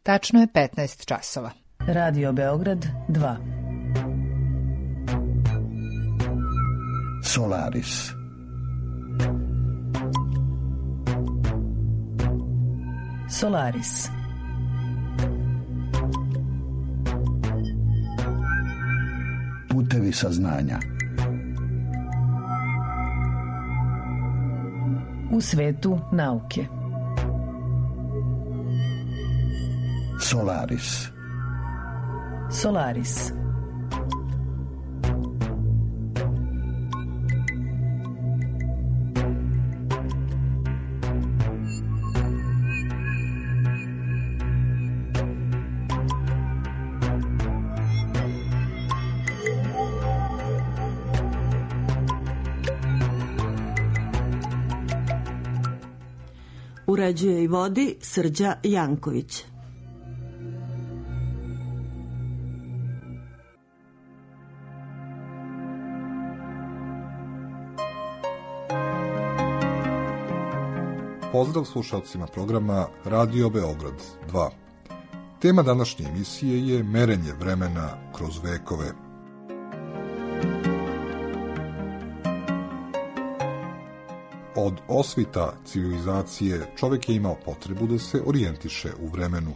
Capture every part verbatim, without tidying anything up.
Tačno je petnaest časova. Radio Beograd dva. Solaris. Solaris. Putevi saznanja. U svetu nauke. Solaris. Solaris. Uređuje i vodi Srđa Janković. Pozdrav slušalcima programa Radio Beograd dva. Tema današnje emisije je merenje vremena kroz vekove. Od osvita civilizacije čovjek je imao potrebu da se orijentiše u vremenu.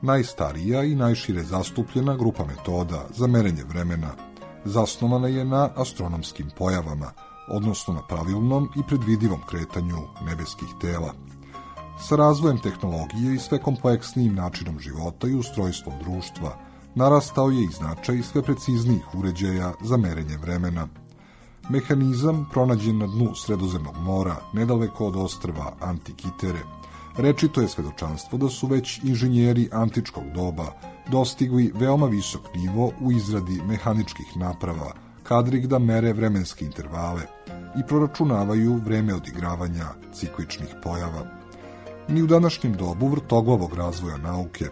Najstarija i najšire zastupljena grupa metoda za merenje vremena zasnovana je na astronomskim pojavama, odnosno na pravilnom i predvidivom kretanju nebeskih tela. Sa razvojem tehnologije i sve kompleksnijim načinom života i ustrojstvom društva narastao je i značaj sve preciznijih uređaja za merenje vremena. Mehanizam pronađen na dnu Sredozemnog mora, nedaleko od ostrva Antikitere, rečito je svedočanstvo da su već inženjeri antičkog doba dostigli veoma visok nivo u izradi mehaničkih naprava, kadrih da mere vremenske intervale i proračunavaju vreme odigravanja cikličnih pojava. Ni u današnjem dobu vrtoglavog razvoja nauke,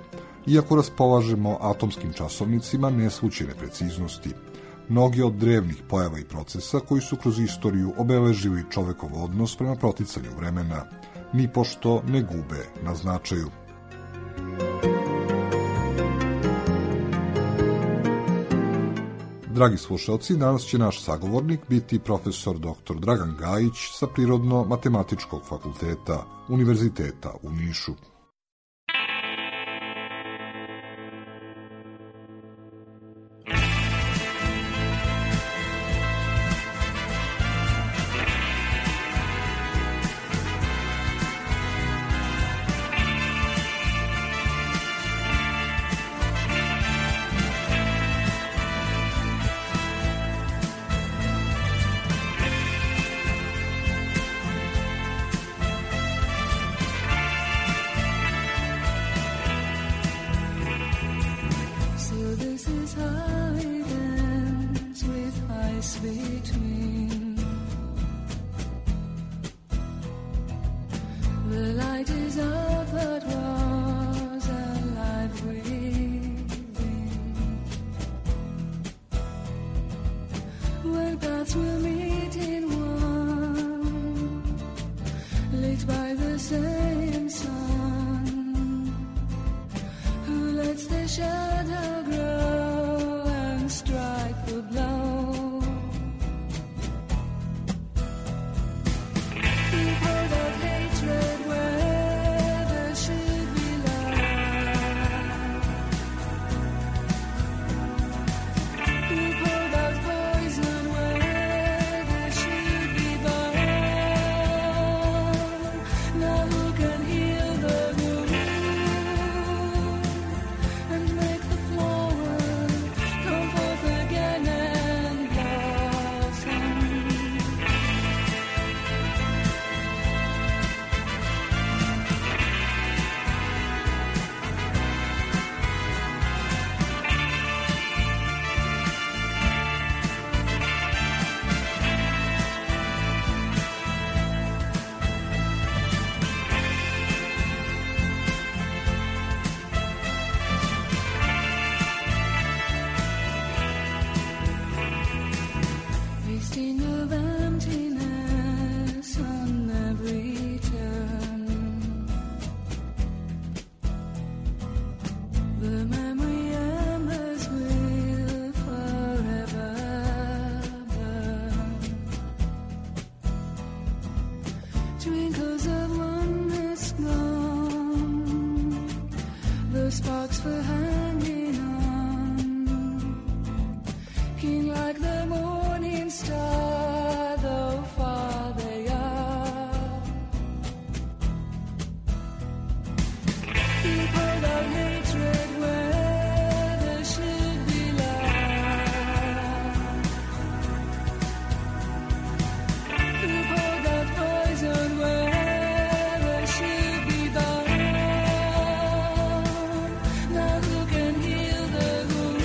iako raspolažemo atomskim časovnicima neslućene preciznosti, mnogi od drevnih pojava i procesa koji su kroz istoriju obeležili čovekov odnos prema proticanju vremena, ni pošto ne gube na značaju. Dragi slušalci, danas će naš sagovornik biti profesor doktor Dragan Gajić sa Prirodno-matematičkog fakulteta Univerziteta u Nišu. Again. sparks were hanging on, king like the morning star, though far they are. You poured out hatred where there should be love. You poured out poison where there should be dawn. Now who can heal the wound?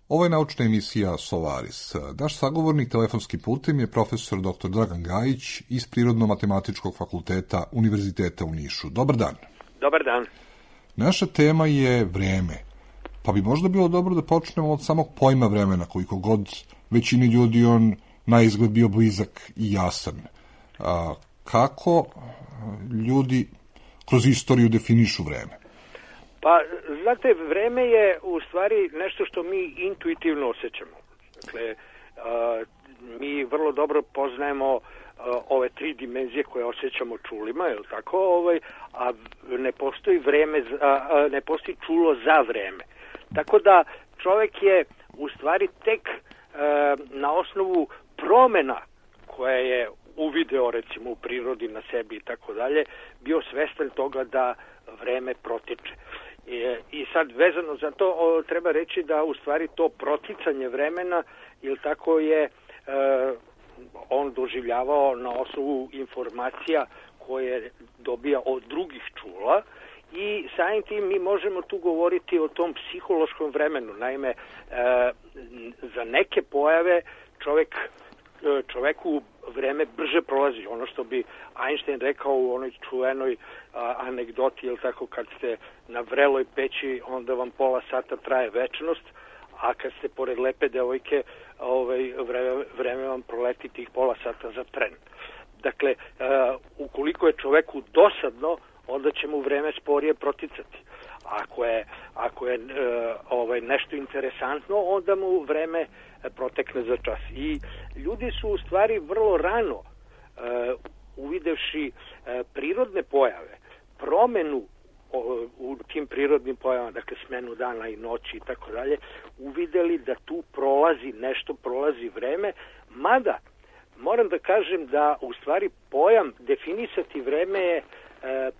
Ovo je naučna emisija Solaris. Naš sagovornik telefonskim putem je profesor doktor Dragan Gajić iz Prirodno-matematičkog fakulteta Univerziteta u Nišu. Dobar dan. Dobar dan. Naša tema je vreme, pa bi možda bilo dobro da počnemo od samog pojma vremena, koliko god većini ljudi on na izgled bio blizak i jasan. A, kako ljudi kroz istoriju definišu vreme? Pa, znate, vreme je u stvari nešto što mi intuitivno osjećamo. Dakle, a, mi vrlo dobro poznajemo a, ove tri dimenzije koje osjećamo čulima, je li tako? Ovaj, a ne postoji vreme, za, a, ne postoji čulo za vreme. Tako da čovjek je u stvari tek a, na osnovu promjena koje je uvideo recimo u prirodi na sebi i tako dalje, bio svestan toga da vreme protiče. I, i sad vezano za to o, treba reći da u stvari to proticanje vremena, ili tako je e, on doživljavao na osnovu informacija koje dobija od drugih čula i samim tim mi možemo tu govoriti o tom psihološkom vremenu. Naime, e, za neke pojave čovjek čoveku vreme brže prolazi. Ono što bi Einstein rekao u onoj čuvenoj a, anegdoti, jel tako, kad ste na vreloj peći, onda vam pola sata traje večnost, a kad ste pored lepe devojke, ovaj, vreme, vreme vam proleti tih pola sata za tren. Dakle, a, ukoliko je čoveku dosadno, onda će mu vreme sporije proticati. Ako je, ako je e, ovaj, nešto interesantno, onda mu vreme protekne za čas. I ljudi su u stvari vrlo rano, e, uvidevši e, prirodne pojave, promenu o, u tim prirodnim pojavama, dakle smenu dana i noći i tako dalje, uvideli da tu prolazi nešto, prolazi vreme, mada moram da kažem da u stvari pojam definisati vreme je e,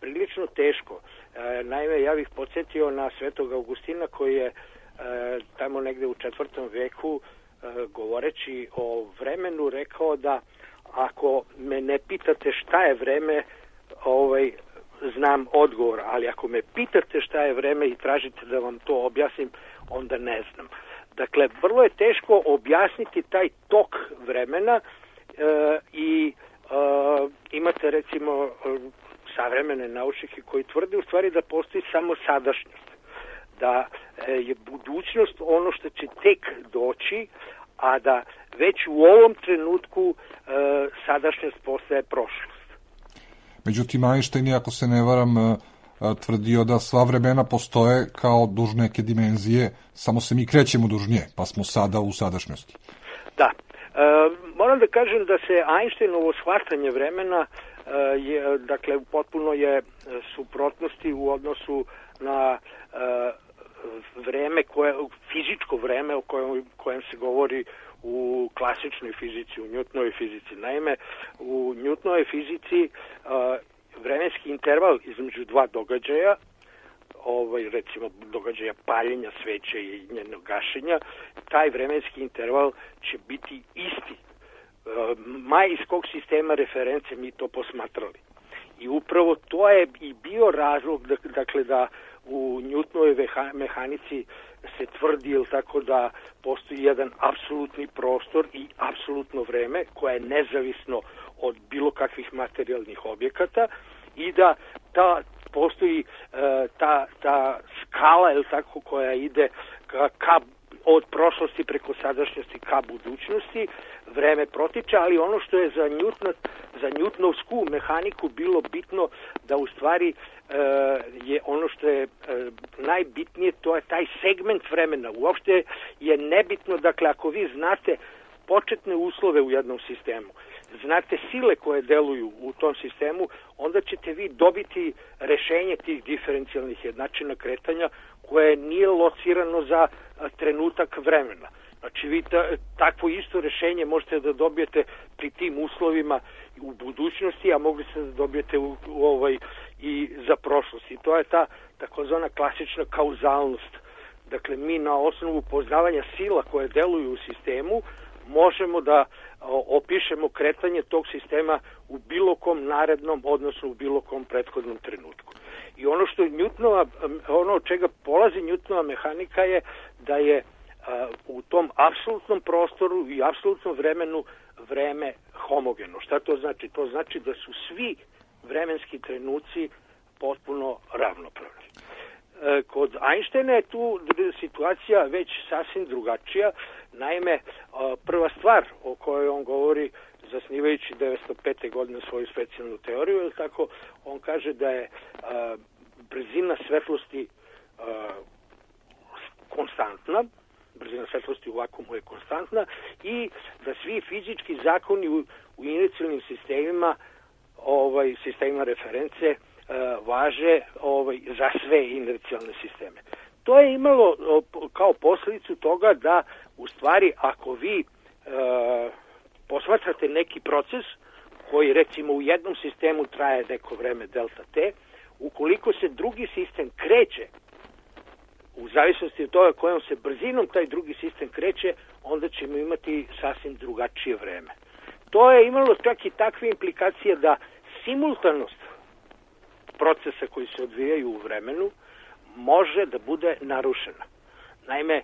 prilično teško. E, naime, ja bih podsjetio na Svetog Augustina koji je e, tamo negde u četvrtom veku e, govoreći o vremenu rekao da ako me ne pitate šta je vreme, ovaj, znam odgovor, ali ako me pitate šta je vreme i tražite da vam to objasnim, onda ne znam. Dakle, vrlo je teško objasniti taj tok vremena e, i e, imate recimo savremene naučnike koji tvrde u stvari da postoji samo sadašnjost, da je budućnost ono što će tek doći, a da već u ovom trenutku e, sadašnjost postaje prošlost. Međutim, Einstein, ako se ne varam, tvrdio da sva vremena postoje kao duž neke dimenzije, samo se mi krećemo duž nje, pa smo sada u sadašnjosti. Da. E, moram da kažem da se Einsteinovo shvatanje vremena je, dakle, potpuno je suprotnosti u odnosu na e, vreme, koje, fizičko vreme o kojem, kojem se govori u klasičnoj fizici, u Newtonovoj fizici. Naime, u Newtonovoj fizici e, vremenski interval između dva događaja, ovaj, recimo događaja paljenja sveće i njenog gašenja, taj vremenski interval će biti isti. Ma iz kog sistema reference mi to posmatrali. I upravo to je i bio razlog, dakle, da u Newtonovoj mehanici se tvrdi, jel tako, da postoji jedan apsolutni prostor i apsolutno vreme koje je nezavisno od bilo kakvih materijalnih objekata i da ta postoji ta, ta skala, jel tako, koja ide ka, ka od prošlosti preko sadašnjosti ka budućnosti, vreme protiče, ali ono što je za Newton, za Newtonovsku mehaniku bilo bitno, da u stvari e, je ono što je e, najbitnije, to je taj segment vremena. Uopšte je nebitno, dakle, ako vi znate početne uslove u jednom sistemu, znate sile koje deluju u tom sistemu, onda ćete vi dobiti rešenje tih diferencijalnih jednačina kretanja koje nije locirano za trenutak vremena. Znači vi ta, takvo isto rešenje možete da dobijete pri tim uslovima u budućnosti, a mogli ste da dobijete u, u ovaj, i za prošlost. I to je ta takozvana klasična kauzalnost. Dakle, mi na osnovu poznavanja sila koje deluju u sistemu možemo da o, opišemo kretanje tog sistema u bilo kom narednom, odnosno u bilo kom prethodnom trenutku. I ono što Newtonova, ono od čega polazi Newtonova mehanika je da je a, u tom apsolutnom prostoru i apsolutnom vremenu vreme homogeno. Šta to znači? To znači da su svi vremenski trenuci potpuno ravnopravni. E, kod Einsteina je tu situacija već sasvim drugačija. Naime, prva stvar o kojoj on govori, zasnivajući devetsto pete godine svoju specijalnu teoriju, je tako, on kaže da je a, brzina svetlosti a, konstantna, brzina svetlosti u vakuumu je konstantna i da svi fizički zakoni u, u inicijalnim sistemima, ovaj, sistemima reference, a, važe ovaj, za sve inercijalne sisteme. To je imalo kao posljedicu toga da u stvari ako vi e, posmatrate neki proces koji recimo u jednom sistemu traje neko vreme delta t, ukoliko se drugi sistem kreće u zavisnosti od toga kojom se brzinom taj drugi sistem kreće, onda ćemo imati sasvim drugačije vreme. To je imalo čak i takve implikacije da simultanost procesa koji se odvijaju u vremenu može da bude narušena. Naime,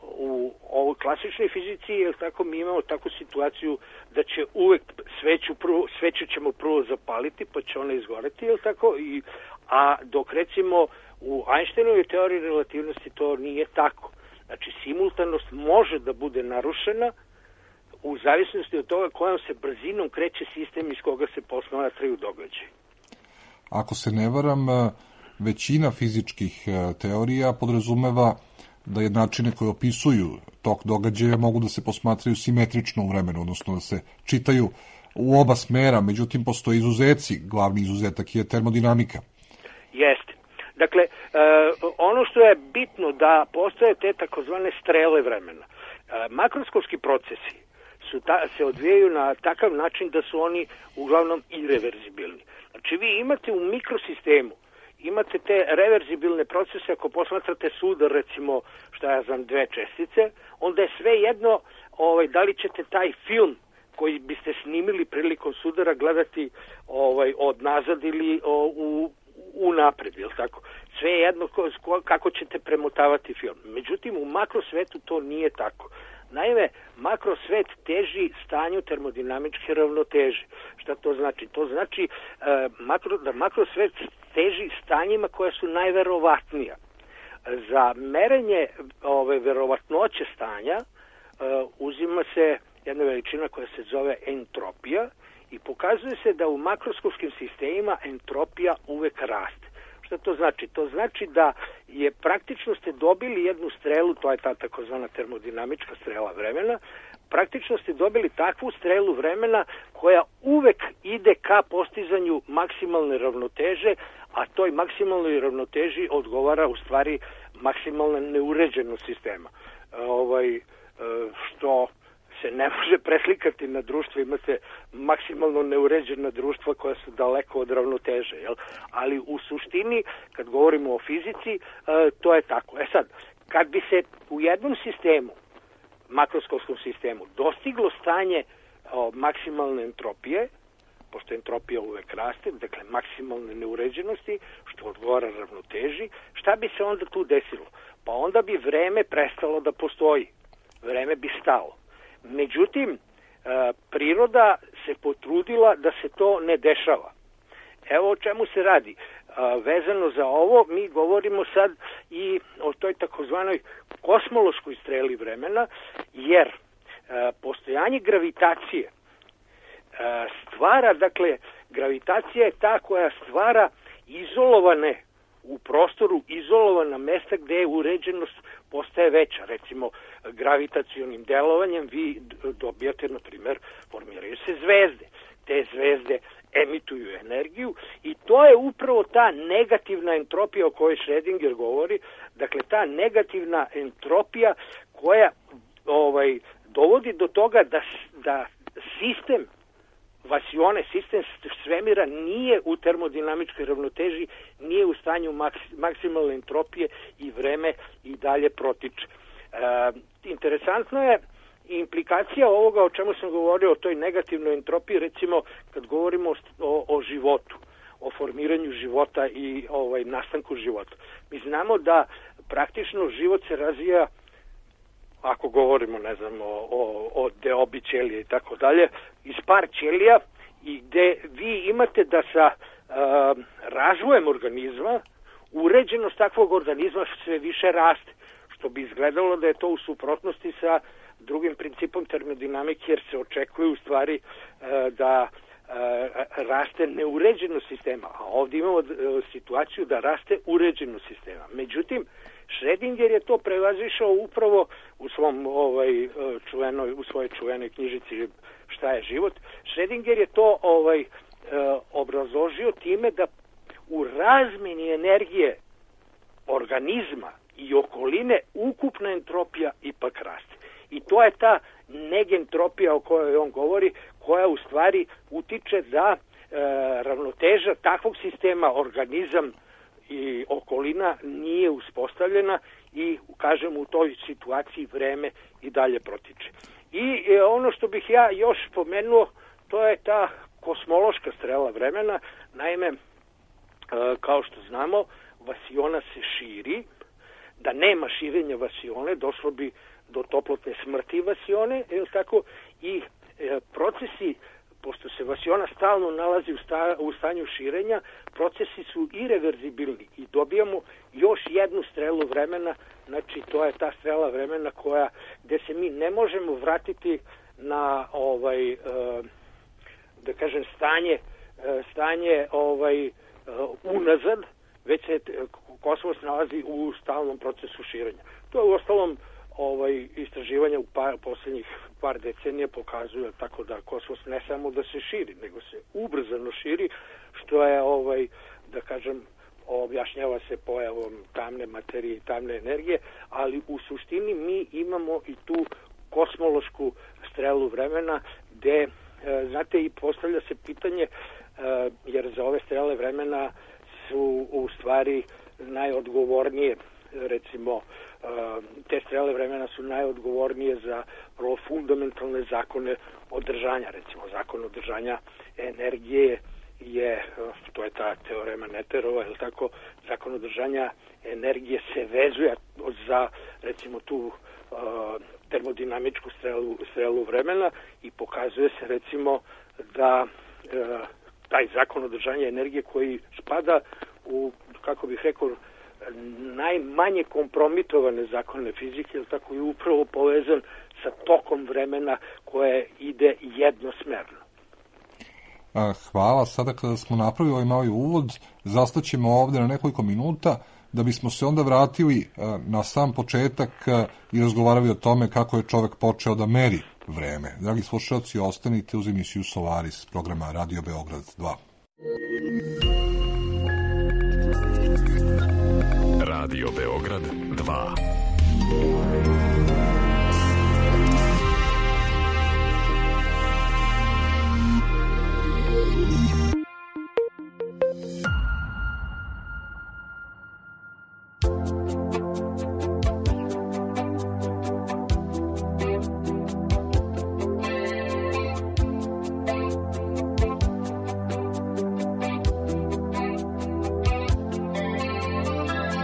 u ovoj klasičnoj fizici je tako, mi imamo takvu situaciju da će uvek sveću, prvo, sveću ćemo prvo zapaliti, pa će ona izgoreti, je tako? I, a dok recimo u Einsteinovoj teoriji relativnosti to nije tako. Znači, simultanost može da bude narušena u zavisnosti od toga kojom se brzinom kreće sistem iz koga se posmatraju događaji. Ako se ne varam, većina fizičkih teorija podrazumeva da jednačine koje opisuju tok događaja mogu da se posmatraju simetrično u vremenu, odnosno da se čitaju u oba smera, međutim postoje izuzeci, glavni izuzetak je termodinamika. Jeste. Dakle, ono što je bitno da postoje te takozvane strele vremena. Makroskopski procesi su ta, se odvijaju na takav način da su oni uglavnom irreverzibilni. Znači vi imate u mikrosistemu, imate te reverzibilne procese, ako posmatrate sudar, recimo, šta ja znam, dve čestice, onda je sve jedno ovaj, da li ćete taj film koji biste snimili prilikom sudara gledati ovaj, od nazad ili o, u, u napred, je li tako? Sve jedno ko, kako ćete premotavati film. Međutim, u makrosvetu to nije tako. Naime, makrosvet teži stanju termodinamičke ravnoteže. Šta to znači? To znači e, makro, da makrosvet teži stanjima koja su najverovatnija. Za merenje ove verovatnoće stanja e, uzima se jedna veličina koja se zove entropija i pokazuje se da u makroskopskim sistemima entropija uvek raste. Šta to znači? To znači da je praktično ste dobili jednu strelu, to je ta takozvana termodinamička strela vremena, praktično ste dobili takvu strelu vremena koja uvek ide ka postizanju maksimalne ravnoteže, a toj maksimalnoj ravnoteži odgovara u stvari maksimalna neuređenost sistema. Ovaj, što se ne može preslikati na društvo, imate maksimalno neuređena društva koja su daleko od ravnoteže, jel? Ali u suštini, kad govorimo o fizici, to je tako. E sad, kad bi se u jednom sistemu, makroskopskom sistemu, dostiglo stanje o, maksimalne entropije, pošto entropija uvek raste, dakle maksimalne neuređenosti, što odgovara ravnoteži, šta bi se onda tu desilo? Pa onda bi vreme prestalo da postoji. Vreme bi stalo. Međutim, priroda se potrudila da se to ne dešava. Evo o čemu se radi. Vezano za ovo, mi govorimo sad i o toj takozvanoj kosmološkoj streli vremena, jer postojanje gravitacije stvara, dakle, gravitacija je ta koja stvara izolovane u prostoru izolovana mesta gde uređenost postaje veća. Recimo, gravitacionim delovanjem vi dobijate, na primer, formiraju se zvezde. Te zvezde emituju energiju i to je upravo ta negativna entropija o kojoj Schrödinger govori. Dakle, ta negativna entropija koja ovaj, dovodi do toga da, da sistem vasione, sistem svemira nije u termodinamičkoj ravnoteži, nije u stanju maks, maksimalne entropije i vreme i dalje protiče. E, interesantno je implikacija ovoga o čemu sam govorio, o toj negativnoj entropiji, recimo kad govorimo o, o životu, o formiranju života i ovaj, nastanku života. Mi znamo da praktično život se razvija, ako govorimo, ne znam, o, o, o deobi ćelije i tako dalje, iz par ćelija i gde vi imate da sa uh, razvojem organizma uređenost takvog organizma sve više raste, što bi izgledalo da je to u suprotnosti sa drugim principom termodinamike, jer se očekuje u stvari uh, da uh, raste neuređenost sistema, a ovdje imamo uh, situaciju da raste uređenost sistema. Međutim, Schrödinger je to prevazišao upravo u svom ovaj čuvenoj u svojoj čuvenoj knjižici Šta je život. Schrödinger je to ovaj obrazložio time da u razmjeni energije organizma i okoline ukupna entropija ipak raste. I to je ta negentropija o kojoj on govori, koja u stvari utiče da e, ravnoteža takvog sistema organizam i okolina nije uspostavljena i, kažem, u toj situaciji vreme i dalje protiče. I e, ono što bih ja još spomenuo, to je ta kosmološka strela vremena. Naime, e, kao što znamo, vasiona se širi. Da nema širenja vasione, došlo bi do toplotne smrti vasione, je li tako? I e, procesi, pošto se vasiona stalno nalazi u, sta, u stanju širenja, procesi su irreverzibilni i dobijamo još jednu strelu vremena, znači to je ta strela vremena koja, gde se mi ne možemo vratiti na ovaj, e, da kažem, stanje, e, stanje ovaj, e, unazad, već se kosmos nalazi u stalnom procesu širenja. To je u ostalom ovaj, istraživanja u par, posljednjih par decenija pokazuje tako da kosmos ne samo da se širi, nego se ubrzano širi, što je, ovaj, da kažem, objašnjava se pojavom tamne materije i tamne energije, ali u suštini mi imamo i tu kosmološku strelu vremena gde, e, znate, i postavlja se pitanje, e, jer za ove strele vremena su u stvari najodgovornije, recimo, te strele vremena su najodgovornije za vrlo fundamentalne zakone održanja. Recimo, zakon održanja energije je, to je ta teorema Netterova, je li tako, zakon održanja energije se vezuje za, recimo, tu uh, termodinamičku strelu, strelu vremena i pokazuje se, recimo, da uh, taj zakon održanja energije koji spada u, kako bih rekao, najmanje kompromitovane zakone fizike, ili tako, je upravo povezan sa tokom vremena koje ide jednosmerno. Hvala. Sada kada smo napravili ovaj mali uvod, zastaćemo ovdje na nekoliko minuta da bismo se onda vratili na sam početak i razgovarali o tome kako je čovek počeo da meri vreme. Dragi slušalci, ostanite uz emisiju Solaris programa Radio Beograd dva. Radio Beograd dva.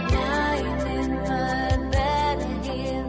Lying in my bed, I hear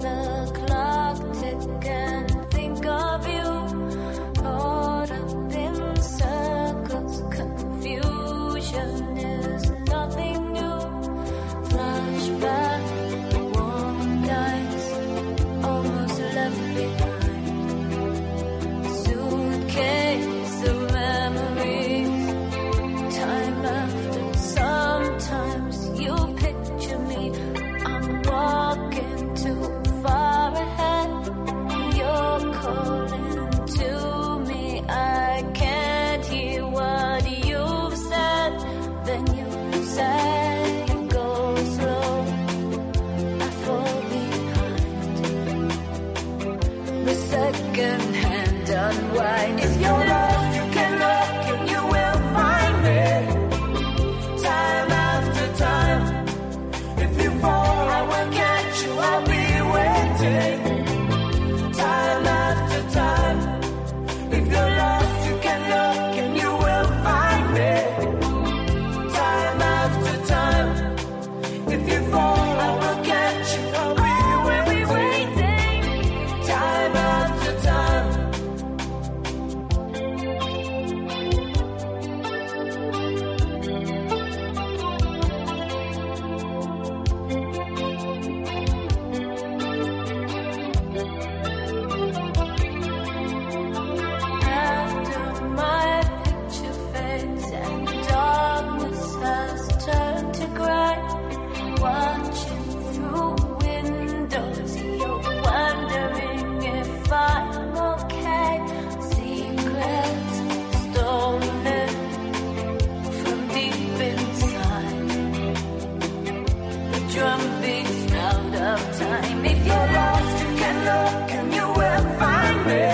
fixed out of time. If you're lost, you can look and you will find me.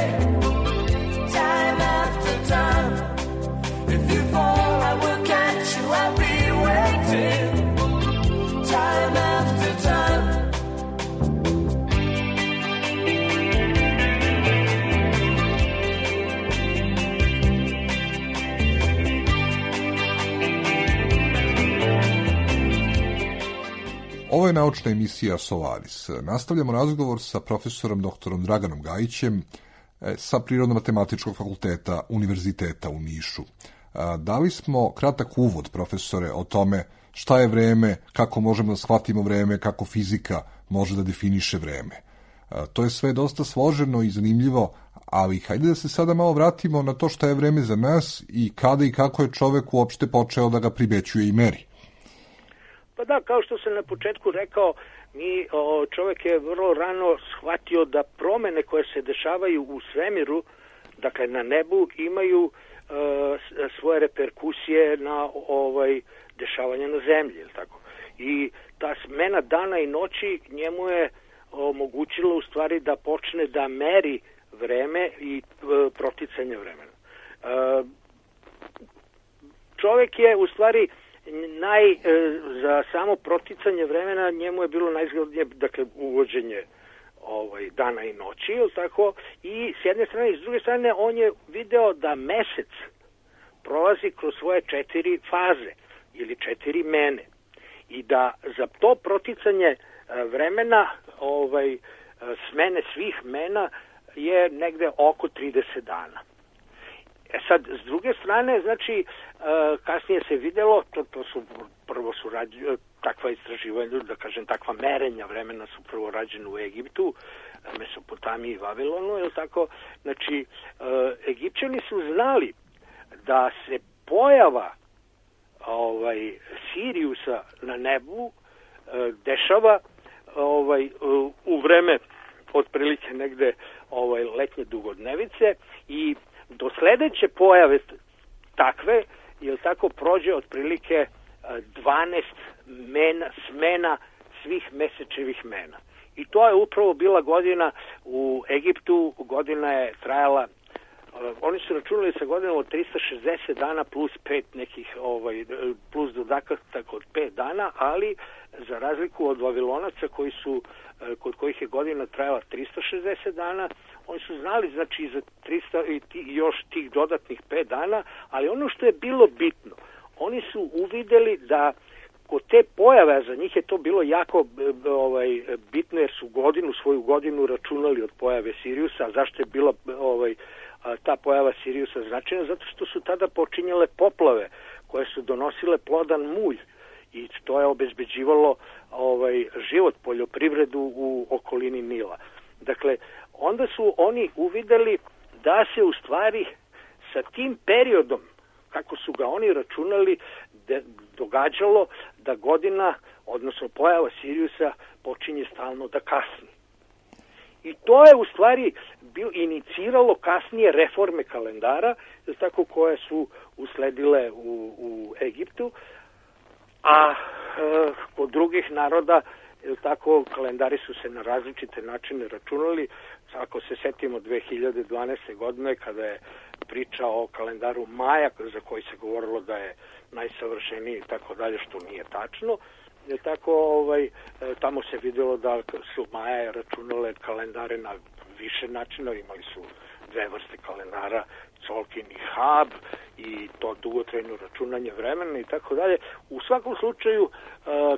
Time after time. If you fall, I will catch you. I'll be waiting. Time after time. Ovo je naučna emisija Solaris. Nastavljamo razgovor sa profesorom doktorom Draganom Gajićem sa Prirodno-matematičkog fakulteta Univerziteta u Nišu. Dali smo kratak uvod, profesore, o tome šta je vreme, kako možemo da shvatimo vreme, kako fizika može da definiše vreme. To je sve dosta složeno i zanimljivo, ali hajde da se sada malo vratimo na to šta je vreme za nas i kada i kako je čovek uopšte počeo da ga primećuje i meri. Pa da, kao što sam na početku rekao, mi, o, čovjek je vrlo rano shvatio da promene koje se dešavaju u svemiru, dakle na nebu, imaju e, svoje reperkusije na ovaj dešavanja na zemlji, je li tako? I ta smena dana i noći njemu je omogućilo u stvari da počne da meri vreme i e, proticanje vremena. E, čovjek je u stvari naj, e, za samo proticanje vremena njemu je bilo najzgodnije, dakle, uvođenje ovaj, dana i noći, ili tako, i s jedne strane i s druge strane on je video da mesec prolazi kroz svoje četiri faze ili četiri mene i da za to proticanje e, vremena ovaj, smene svih mena je negde oko trideset dana. E sad, s druge strane, znači, kasnije se videlo, to, to su prvo su rađene, takva istraživanja, da kažem, takva merenja vremena su prvo rađene u Egiptu, Mesopotamiji i Vavilonu, je tako? Znači, Egipćani su znali da se pojava ovaj, Siriusa na nebu dešava ovaj, u vreme otprilike negde ovaj, letnje dugodnevice i do sledeće pojave takve, jel tako, prođe otprilike dvanaest mena, smena svih mesečevih mena. I to je upravo bila godina u Egiptu, godina je trajala, oni su računali sa godinom od tristo šezdeset dana plus pet nekih, ovaj, plus dodatak od pet dana, ali za razliku od Vavilonaca koji su, kod kojih je godina trajala tristo šezdeset dana, oni su znali, znači, za tristo i ti, još tih dodatnih pet dana, ali ono što je bilo bitno, oni su uvideli da kod te pojave, za njih je to bilo jako ovaj, bitno, jer su godinu, svoju godinu računali od pojave Siriusa. Zašto je bila ovaj, ta pojava Siriusa značajna? Zato što su tada počinjale poplave koje su donosile plodan mulj i to je obezbeđivalo ovaj, život, poljoprivredu u okolini Nila. Dakle, onda su oni uvideli da se u stvari sa tim periodom, kako su ga oni računali, de, događalo da godina, odnosno pojava Siriusa, počinje stalno da kasni. I to je u stvari bil, iniciralo kasnije reforme kalendara, tako koje su usledile u, u Egiptu, a e, kod drugih naroda, tako, kalendari su se na različite načine računali. Ako se setimo dve hiljade dvanaeste. godine, kada je priča o kalendaru Maja, za koji se govorilo da je najsavršeniji i tako dalje, što nije tačno, je tako, ovaj, tamo se vidjelo da su Maja računale kalendare na više načina, imali su dve vrste kalendara, Colkin i Hab, i to dugotrajno računanje vremena i tako dalje. U svakom slučaju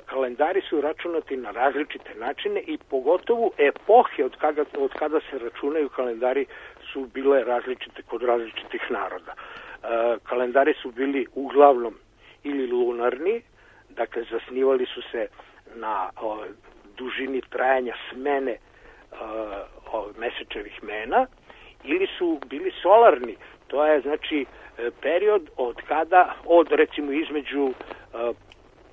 kalendari su računati na različite načine i pogotovo epohe od kada, od kada se računaju kalendari su bile različite kod različitih naroda. Kalendari su bili uglavnom ili lunarni, dakle zasnivali su se na o, dužini trajanja smene o, o, mesečevih mena, ili su bili solarni. To je, znači, period od kada, od recimo između uh,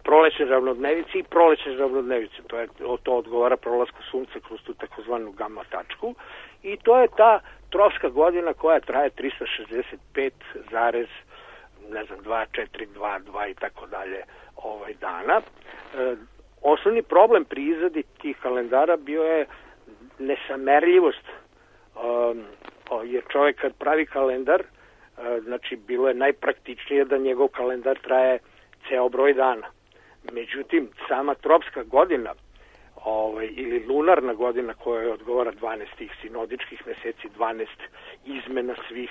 prolećne ravnodnevice i prolećne ravnodnevice. To, je, to odgovara prolasku sunca kroz tu takozvanu gamma tačku. I to je ta tropska godina koja traje tristo šezdeset pet zarez ne znam, dva, četiri, dva, dva i tako dalje ovaj dana. E, osnovni problem pri izradi tih kalendara bio je nesamerljivost, um, jer čovjek kad pravi kalendar, uh, znači bilo je najpraktičnije da njegov kalendar traje ceo broj dana. Međutim, sama tropska godina ovaj, ili lunarna godina koja odgovara dvanaest tih sinodičkih meseci, dvanaest izmena svih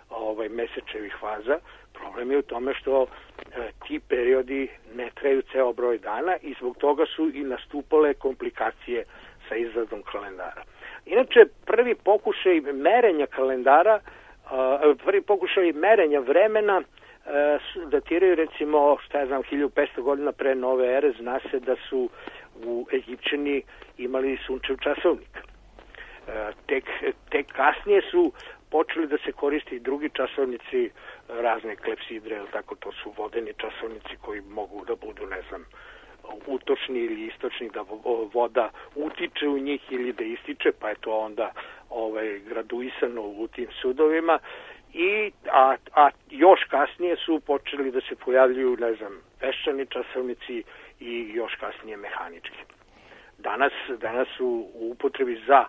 ovaj, mesečevih faza, problem je u tome što e, ti periodi ne traju ceo broj dana i zbog toga su i nastupale komplikacije sa izradom kalendara. Inače, prvi pokušaj merenja kalendara, e, prvi pokušaj merenja vremena e, su, datiraju recimo, šta ja znam, hiljadu petsto godina pre nove ere. Zna se da su u Egipćani imali sunčev časovnik. E, tek, tek kasnije su počeli da se koristi i drugi časovnici, razne klepsidre, tako, to su vodeni časovnici koji mogu da budu, ne znam, utočni ili istočni, da voda utiče u njih ili da ističe, pa je to onda ovaj, graduisano u tim sudovima. I, a, a još kasnije su počeli da se pojavljuju, ne znam, peščani časovnici i još kasnije mehanički. Danas, danas su u upotrebi za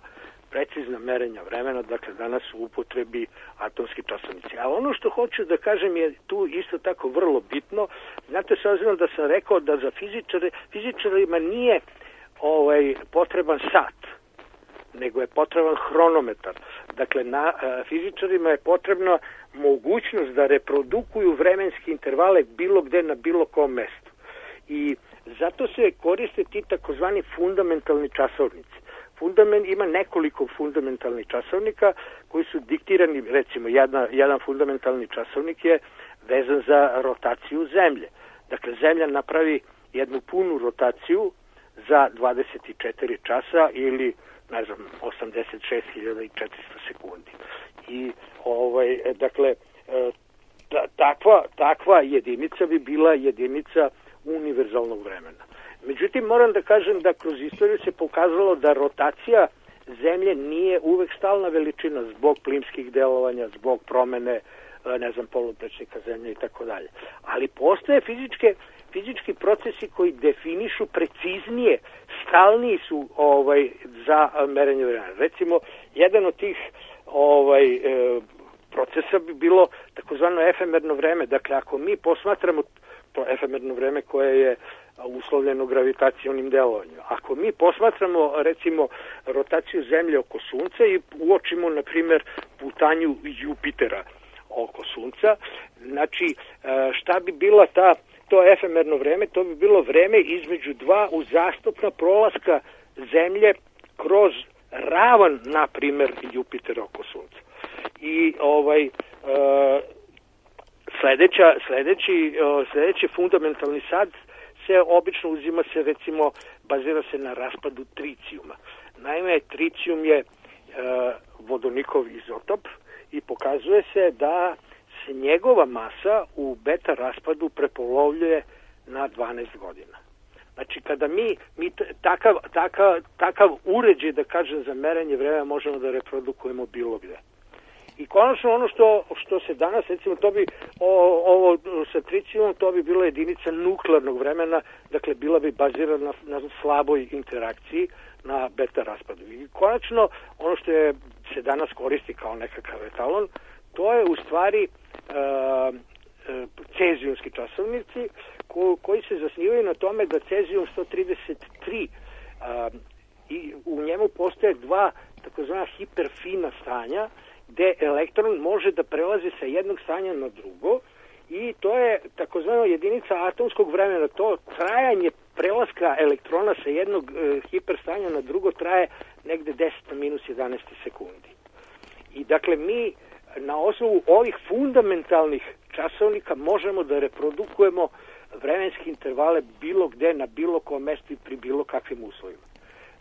precizna merenja vremena, dakle danas u upotrebi atomski časovnici. A ono što hoću da kažem je tu isto tako vrlo bitno. Znate, s obzirom da sam rekao da za fizičare, fizičarima nije ovaj, potreban sat, nego je potreban hronometar. Dakle, na a, fizičarima je potrebna mogućnost da reprodukuju vremenske intervale bilo gde na bilo kom mestu. I zato se koriste ti takozvani fundamentalni časovnici. Fundament, ima nekoliko fundamentalnih časovnika koji su diktirani, recimo jedna, jedan fundamentalni časovnik je vezan za rotaciju zemlje. Dakle, zemlja napravi jednu punu rotaciju za dvadeset četiri časa ili, ne znam, osamdeset šest hiljada četiristo sekundi. I, ovaj, dakle, takva, takva jedinica bi bila jedinica univerzalnog vremena. Međutim, moram da kažem da kroz istoriju se pokazalo da rotacija zemlje nije uvek stalna veličina zbog plimskih delovanja, zbog promene, ne znam, poluprečnika zemlje i tako dalje. Ali postoje fizičke, fizički procesi koji definišu preciznije, stalniji su ovaj, za merenje vremena. Recimo, jedan od tih ovaj, e, procesa bi bilo takozvano efemerno vreme. Dakle, ako mi posmatramo to efemerno vreme koje je uslovljeno gravitacionim delovanjem. Ako mi posmatramo, recimo, rotaciju Zemlje oko Sunca i uočimo, na primjer, putanju Jupitera oko Sunca, znači, šta bi bila ta, to efemerno vreme? To bi bilo vreme između dva uzastopna prolaska Zemlje kroz ravan, na primjer, Jupitera oko Sunca. I ovaj... Sledeća, sledeći, sledeći fundamentalni sad se obično uzima se, recimo, bazira se na raspadu tricijuma. Naime, tricijum je e, vodonikov izotop i pokazuje se da se njegova masa u beta raspadu prepolovljuje na dvanaest godina. Znači, kada mi, mi takav, takav, takav uređaj, da kažem, za merenje vremena možemo da reprodukujemo bilo gde. I konačno ono što, što se danas, recimo, to bi, o, ovo sa tricijumom, to bi bila jedinica nuklearnog vremena, dakle, bila bi bazirana na, na slaboj interakciji, na beta raspadu. I konačno, ono što je, se danas koristi kao nekakav etalon, to je u stvari e, e, cezijumski časovnici, ko, koji se zasnivaju na tome da cezijum sto trideset tri, e, i u njemu postoje dva takozvana hiperfina stanja, gde elektron može da prelazi sa jednog stanja na drugo i to je takozvano jedinica atomskog vremena. To trajanje prelaska elektrona sa jednog e, hiperstanja na drugo traje negde deset na minus jedanaest sekundi. I dakle mi na osnovu ovih fundamentalnih časovnika možemo da reprodukujemo vremenske intervale bilo gde, na bilo kom mestu i pri bilo kakvim uslovima.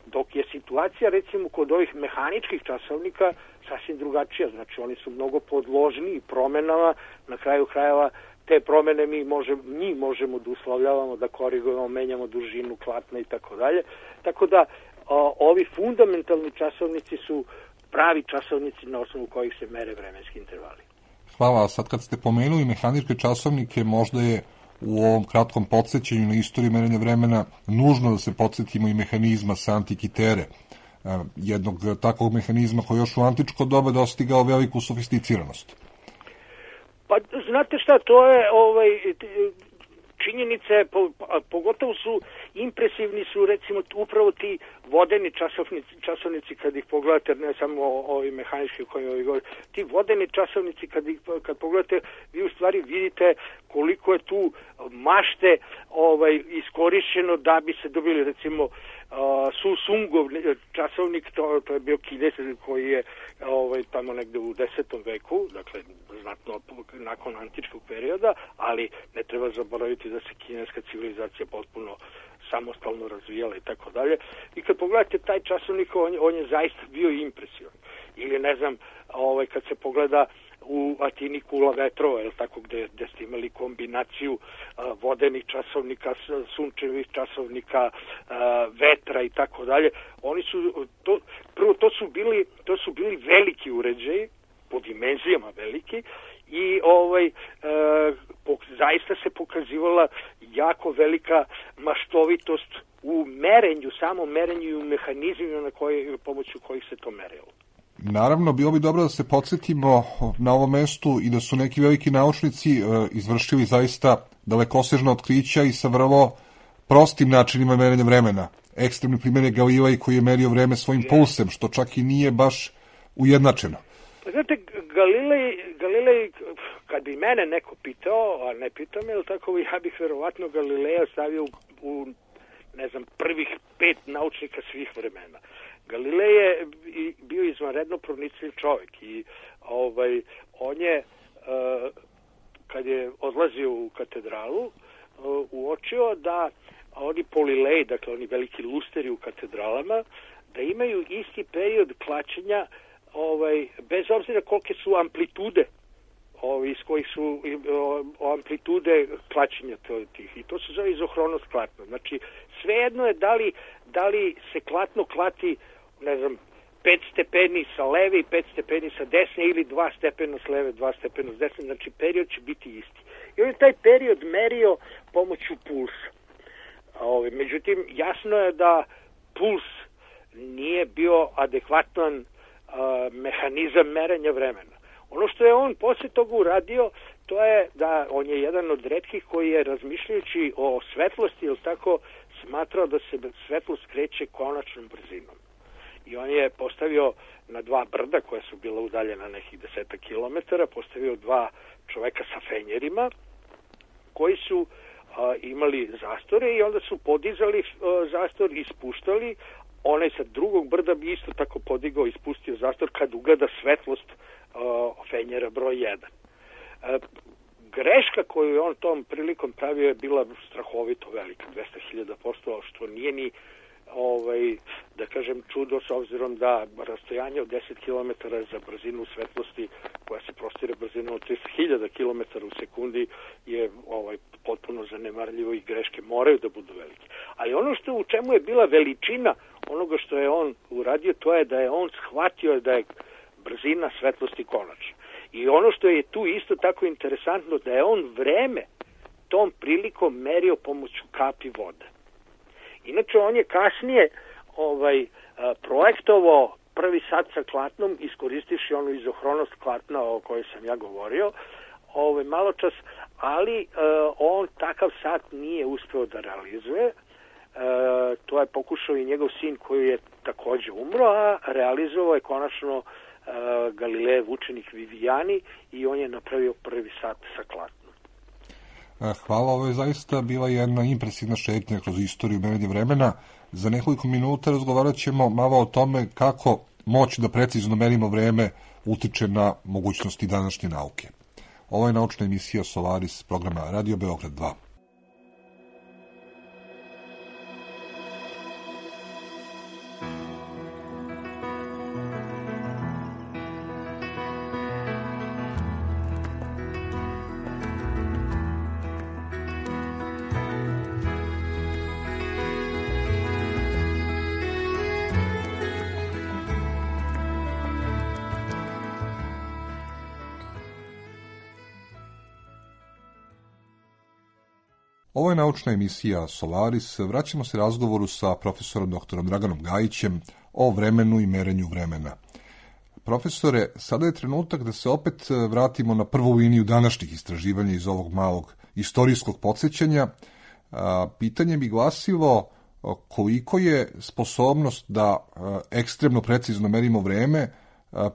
Dok je situacija, recimo, kod ovih mehaničkih časovnika sasvim drugačija. Znači, oni su mnogo podložniji promenama. Na kraju krajeva te promene mi možemo, njih možemo da uslovljavamo, da korigujemo, menjamo dužinu klatna i tako dalje. Tako da, o, ovi fundamentalni časovnici su pravi časovnici na osnovu kojih se mere vremenski intervali. Hvala. Sad kad ste pomenuli mehaničke časovnike, možda je u ovom kratkom podsjećanju na istoriju merenja vremena nužno da se podsjetimo i mehanizma sa Antikitere, jednog takvog mehanizma koji još u antičko doba dostigao veliku sofisticiranost. Pa znate šta, to je ovaj, činjenice, po, pogotovo su impresivni su recimo upravo ti vodeni časovnici, časovnici kad ih pogledate, ne samo ovi mehanički koji ovi govori, ti vodeni časovnici kad ih kad pogledate, vi u stvari vidite koliko je tu mašte ovaj iskorišćeno da bi se dobili recimo uh, Susungov časovnik, to, to je bio Kines koji je ovaj tamo negde u desetom veku, dakle znatno nakon antičkog perioda, ali ne treba zaboraviti da se kineska civilizacija potpuno samostalno razvijala i tako dalje. I kad pogledate taj časovnik, on, on je zaista bio impresivan. Ili ne znam, ovaj kad se pogleda u Atini kula vetrova, je tako, gde, gde ste imali kombinaciju a, vodenih časovnika, sunčevih časovnika, a, vetra i tako dalje. Oni su to prvo to su bili to su bili veliki uređaji, po dimenzijama veliki, i ovaj e, po, zaista se pokazivala jako velika maštovitost u merenju, samo merenju i u mehanizmima na koje, pomoću kojih se to merilo. Naravno, bilo bi dobro da se podsjetimo na ovom mestu i da su neki veliki naučnici e, izvršili zaista dalekosežna otkrića i sa vrlo prostim načinima merenja vremena. Ekstremni primjer je Galilej koji je merio vreme svojim pulsem, što čak i nije baš ujednačeno. Znate, Galilej, Galilej, kad bi mene neko pitao, a ne pitao me, tako ja bih verovatno Galileja stavio u, u, ne znam, prvih pet naučnika svih vremena. Galilej je bio izvanredno pronicljiv čovjek i ovaj, on je, uh, kad je odlazio u katedralu, uh, uočio da oni polileji, dakle oni veliki lusteri u katedralama, da imaju isti period klačenja, ovaj, bez obzira kolike su amplitude, ovaj, iz kojih su o, amplitude klačenja tih. I to se zove izohronost klatno. Znači, svejedno je da li, da li se klatno klati, ne znam, pet stepeni sa leve i pet stepeni sa desne ili dva stepena s leve, dva stepena s desne, znači period će biti isti. I on je taj period merio pomoću pulsa. Ovaj, međutim, jasno je da puls nije bio adekvatan a, mehanizam merenja vremena. Ono što je on posle toga uradio, to je da on je jedan od retkih koji je razmišljajući o svetlosti, ili tako, smatrao da se svetlost kreće konačnom brzinom. I on je postavio na dva brda koja su bila udaljena nekih deseta kilometara, postavio dva čoveka sa fenjerima koji su a, imali zastore i onda su podizali a, zastor i ispuštali. Onaj sa drugog brda bi isto tako podigao i ispustio zastor kad ugleda svetlost a, fenjera broj jedan. A, greška koju je on tom prilikom pravio je bila strahovito velika, dvesta hiljada posto, što nije ni ovaj, da kažem čudo, s obzirom da rastojanje od deset kilometara za brzinu svetlosti koja se prostire brzinom od tristo hiljada kilometara u sekundi je ovaj, potpuno zanemarljivo i greške moraju da budu velike. Ali ono što u čemu je bila veličina onoga što je on uradio, to je da je on shvatio da je brzina svetlosti konačna. I ono što je tu isto tako interesantno, da je on vreme tom prilikom merio pomoću kapi vode. Inače, on je kasnije ovaj, projektovao prvi sat sa klatnom, iskoristivši onu izohronost klatna o kojoj sam ja govorio, ovaj, malo čas, ali uh, on takav sat nije uspeo da realizuje. Uh, to je pokušao i njegov sin koji je takođe umro, a realizovao je konačno uh, Galilejev učenik Vivijani i on je napravio prvi sat sa klatnom. Hvala, ovo je zaista bila jedna impresivna šetnja kroz istoriju merenja vremena. Za nekoliko minuta razgovarat ćemo malo o tome kako moći da precizno merimo vreme utiče na mogućnosti današnje nauke. Ovo je naučna emisija Solaris programa Radio Beograd dva. Ovo je naučna emisija Solaris. Vraćamo se razgovoru sa profesorom doktorom Draganom Gajićem o vremenu i merenju vremena. Profesore, sada je trenutak da se opet vratimo na prvu liniju današnjih istraživanja iz ovog malog istorijskog podsjećanja. Pitanje bi glasilo koliko je sposobnost da ekstremno precizno merimo vreme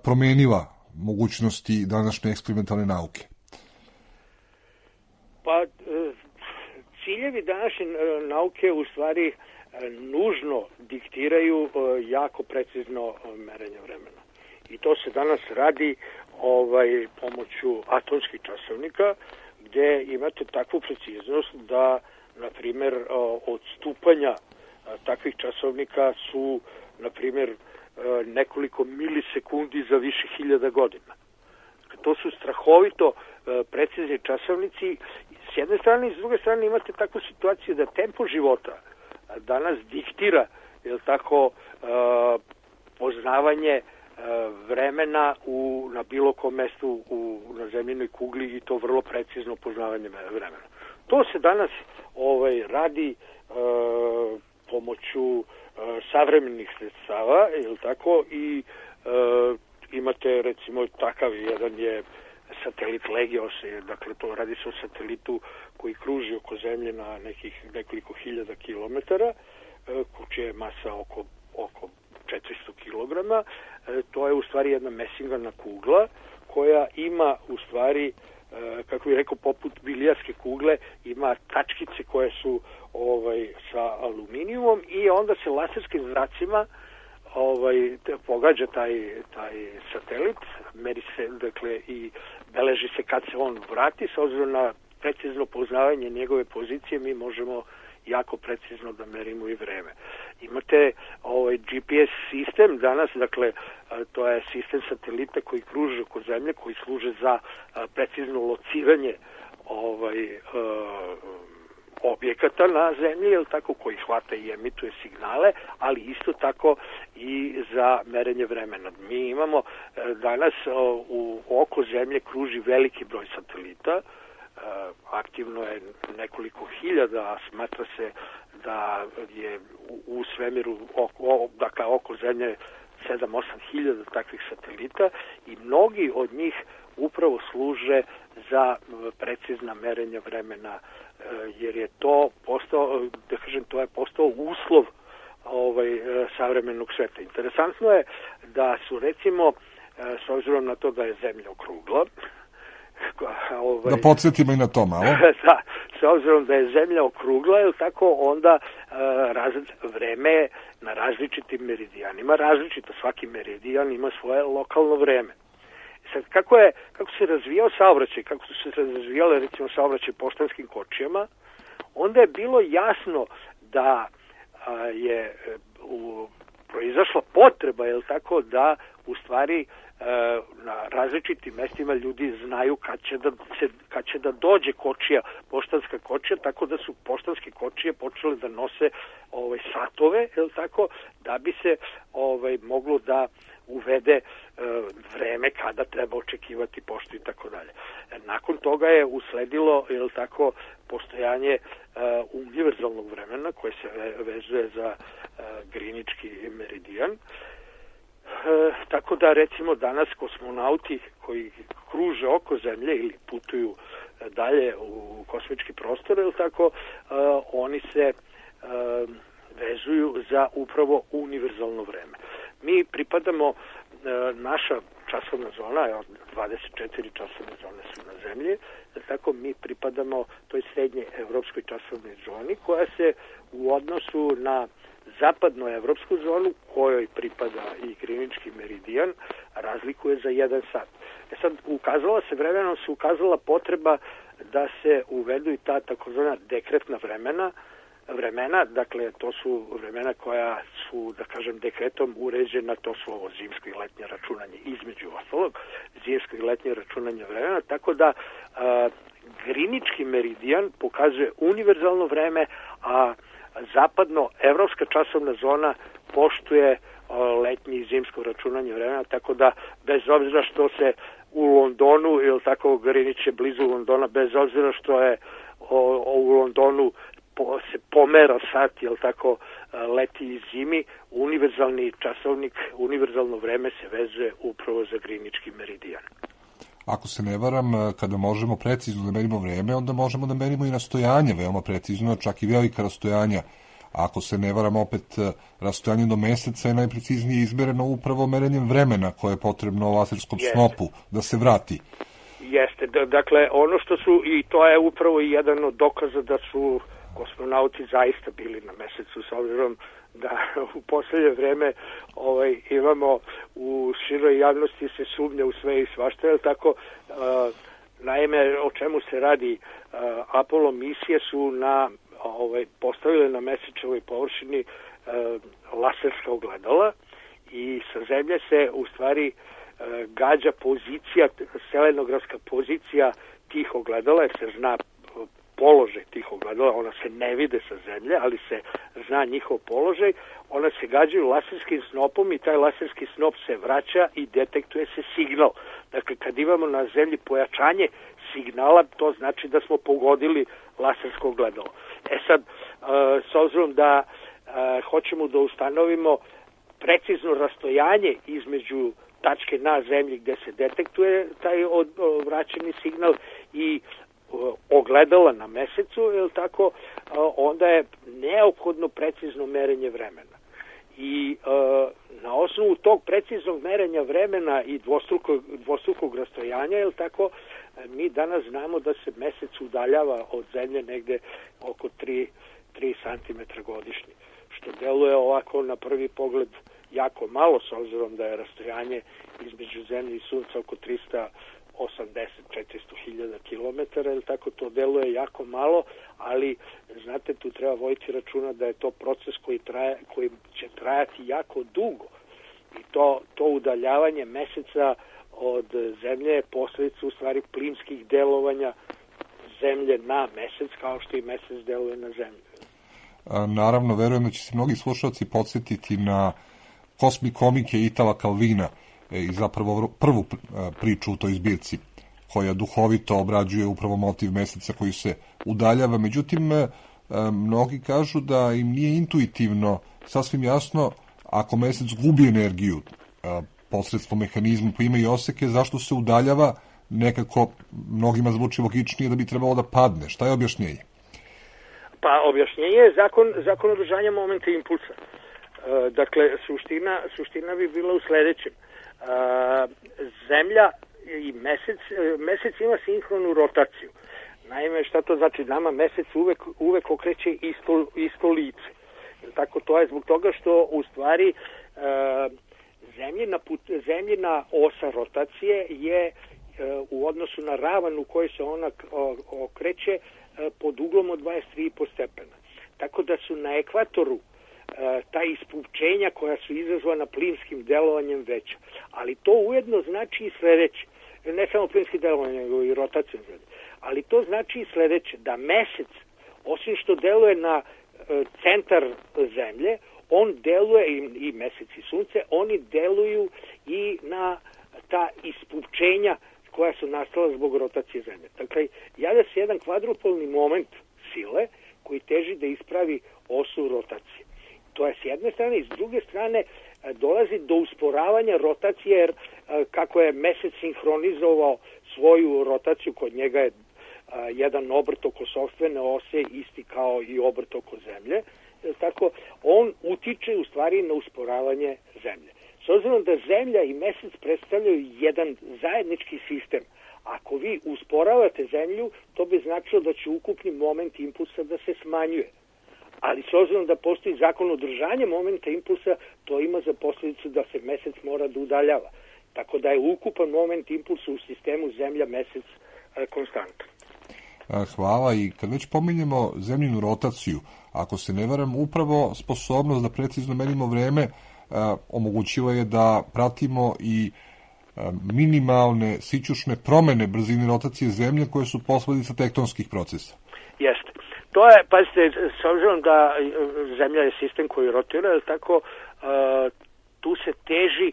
promenila mogućnosti današnje eksperimentalne nauke. Pa, ciljevi današnje nauke u stvari nužno diktiraju jako precizno merenje vremena. I to se danas radi ovaj, pomoću atomskih časovnika, gde imate takvu preciznost da, na primjer, odstupanja takvih časovnika su, na primjer, nekoliko milisekundi za više hiljada godina. To su strahovito precizni časovnici. S jedne strane i s druge strane imate takvu situaciju da tempo života danas diktira, je li tako, poznavanje vremena u, na bilo kom mestu u, na zemljinoj kugli i to vrlo precizno poznavanje vremena. To se danas ovaj, radi uh, pomoću uh, savremenih sredstava, je li tako, i uh, imate recimo takav jedan je satelit Legios, dakle to radi se o satelitu koji kruži oko zemlje na nekih nekoliko hiljada kilometara, uh, čija je masa oko, oko četiristo kilograma. E, to je u stvari jedna mesingarna kugla koja ima u stvari, e, kako bih rekao, poput bilijarske kugle, ima tačkice koje su ovaj, sa aluminijumom i onda se laserskim zracima ovaj, pogađa taj, taj satelit, meri se, dakle, i beleži se kad se on vrati, s obzirom na precizno poznavanje njegove pozicije mi možemo jako precizno da merimo i vreme. Imate ovaj G P S sistem danas, dakle to je sistem satelita koji kruže oko zemlje, koji služe za precizno lociranje ovaj uh, objekata na zemlji, jel tako, koji hvata i emituje signale, ali isto tako i za merenje vremena. Mi imamo danas u oko zemlje kruži veliki broj satelita. Aktivno je nekoliko hiljada, a smatra se da je u svemiru oko, dakle, oko zemlje sedam osam hiljada takvih satelita i mnogi od njih upravo služe za precizna merenja vremena, jer je to postao, da kažem, to je postao uslov ovaj, savremenog sveta. Interesantno je da su, recimo, s obzirom na to da je zemlja okrugla, Ovaj, da podsjetimo i na to malo. Da, s obzirom da je zemlja okrugla, je tako, onda uh, raz, vreme na različitim meridijanima, različito, svaki meridijan ima svoje lokalno vreme. Sad, kako, je, kako se razvijao saobraćaj, kako su se razvijale, recimo, saobraćaj poštanskim kočijama, onda je bilo jasno da uh, je uh, proizašla potreba, je tako, da u stvari na različitim mestima ljudi znaju kad će da se, kad će da dođe kočija, poštanska kočija, tako da su poštanske kočije počele da nose ovaj satove, je l' tako, da bi se ovaj moglo da uvede e, vreme kada treba očekivati poštu i tako dalje. Nakon toga je usledilo, je l' tako, postojanje e, univerzalnog vremena koje se vezuje za e, grinički meridijan. E, tako da, recimo, danas kosmonauti koji kruže oko zemlje ili putuju dalje u kosmički prostor, ili tako, e, oni se e, vezuju za upravo univerzalno vreme. Mi pripadamo, e, naša časovna zona, dvadeset četiri časovne zone su na zemlji, tako mi pripadamo toj srednje evropskoj časovnoj zoni koja se u odnosu na zapadnoevropsku zonu, kojoj pripada i grinički meridijan, razlikuje za jedan sat. E sad, ukazala se vremenom, se ukazala potreba da se uvedu i ta takozvana dekretna vremena, vremena, dakle, to su vremena koja su, da kažem, dekretom uređena, to su ovo zimsko i letnje računanje, između ostalog, zimsko i letnje računanje vremena, tako da a, grinički meridijan pokazuje univerzalno vreme, a zapadno-evropska časovna zona poštuje letnje i zimsko računanje vremena, tako da bez obzira što se u Londonu, ili tako, Greenwich je blizu Londona, bez obzira što je o, o, u Londonu po, se pomera sat, jel tako, leti i zimi, univerzalni časovnik, univerzalno vreme se vezuje upravo za grinički meridijan. Ako se ne varam, kada možemo precizno da merimo vreme, onda možemo da merimo i rastojanje veoma precizno, čak i velika rastojanja. Ako se ne varam, opet rastojanje do meseca je najpreciznije izmereno upravo merenjem vremena koje je potrebno laserskom Jeste. snopu da se vrati. Jeste, da, dakle, ono što su, i to je upravo i jedan od dokaza da su kosmonauti zaista bili na mesecu, s obzirom da u poslednje vreme ovaj, imamo u široj javnosti se sumnja u sve i svašta, je tako, uh, naime, o čemu se radi, uh, Apollo misije su na, ovaj, postavile na mesečevoj površini uh, laserska ogledala i sa zemlje se u stvari uh, gađa pozicija, selenografska pozicija tih ogledala, jer se zna položaj tih ogledala, ona se ne vide sa zemlje, ali se zna njihov položaj, ona se gađaju laserskim snopom i taj laserski snop se vraća i detektuje se signal. Dakle, kad imamo na zemlji pojačanje signala, to znači da smo pogodili lasersko ogledalo. E sad, s obzirom da hoćemo da ustanovimo precizno rastojanje između tačke na zemlji gde se detektuje taj vraćeni signal i ogledala na mesecu, je li tako, onda je neophodno precizno merenje vremena. I e, na osnovu tog preciznog merenja vremena i dvostrukog, dvostrukog rastojanja, je li tako, mi danas znamo da se mesec udaljava od zemlje negde oko tri santimetra godišnje, što deluje ovako na prvi pogled jako malo, s obzirom da je rastojanje između zemlje i sunca oko trista osamdeset do četiristo hiljada kilometara, ili tako, to deluje jako malo, ali znate, tu treba voditi računa da je to proces koji traje, koji će trajati jako dugo. I to, to udaljavanje meseca od zemlje je posledica u stvari plimskih delovanja zemlje na mesec, kao što i mesec deluje na zemlju. A, naravno, verujem da će se mnogi slušalci podsjetiti na kosmi komike Itala Calvina i zapravo prvu priču u toj zbirci, koja duhovito obrađuje upravo motiv meseca koji se udaljava. Međutim, mnogi kažu da im nije intuitivno sasvim jasno, ako mesec gubi energiju posredstvom mehanizma pa ima i oseke, zašto se udaljava, nekako mnogima zvuči logičnije da bi trebalo da padne. Šta je objašnjenje? Pa objašnjenje je zakon, zakon održanja momenta impulsa. E, dakle, suština, suština bi bila u sledećem. Uh, zemlja i mesec, mesec ima sinhronu rotaciju. Naime, šta to znači? Nama mesec uvek, uvek okreće isto, isto lice. Tako, to je zbog toga što u stvari uh, zemljina, put, zemljina osa rotacije je uh, u odnosu na ravan u kojoj se ona okreće uh, pod uglom od dvadeset tri i po stepena. Tako da su na ekvatoru ta ispučenja koja su izazvana plimskim delovanjem veća. Ali to ujedno znači i sledeće. Ne samo plimskim delovanjem, nego i rotacijom zemlje. Ali to znači i sledeće, da mesec, osim što deluje na e, centar zemlje, on deluje, i, i mesec i sunce, oni deluju i na ta ispučenja koja su nastala zbog rotacije zemlje. Dakle, javlja se jedan kvadrupolni moment sile koji teži da ispravi osu rotacije. To je s jedne strane, i s druge strane dolazi do usporavanja rotacije, jer kako je mesec sinhronizovao svoju rotaciju, kod njega je jedan obrt oko sopstvene ose isti kao i obrt oko zemlje, tako on utiče u stvari na usporavanje zemlje. S obzirom da zemlja i mesec predstavljaju jedan zajednički sistem, ako vi usporavate zemlju, to bi značilo da će ukupni moment impulsa da se smanjuje. Ali s obzirom da postoji zakon održanja momenta impulsa, to ima za posljedicu da se mesec mora da udaljava. Tako da je ukupan moment impulsa u sistemu zemlja-mesec konstantan. Hvala, i kad već pominjemo zemljinu rotaciju, ako se ne varam, upravo sposobnost da precizno merimo vreme omogućila je da pratimo i minimalne sićušne promene brzine rotacije zemlje koje su posledica tektonskih procesa. Jeste. To je, pazite, s obzirom da zemlja je sistem koji rotira, tako tu se teži,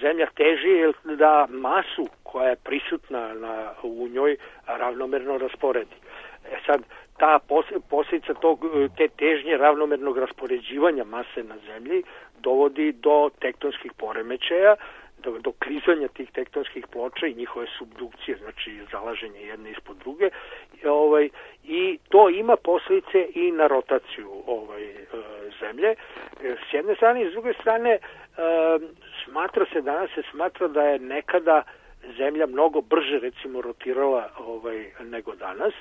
zemlja teži da masu koja je prisutna na, u njoj ravnomerno rasporedi. E sad, ta posljedica tog, te težnje ravnomernog raspoređivanja mase na zemlji dovodi do tektonskih poremećaja, do, do klizanja tih tektonskih ploča i njihove subdukcije, znači zalaženje jedne ispod druge, i, ovaj, i to ima posljedice i na rotaciju ovaj, e, zemlje. E, s jedne strane i s druge strane e, smatra se, danas se smatra da je nekada zemlja mnogo brže recimo rotirala ovaj, nego danas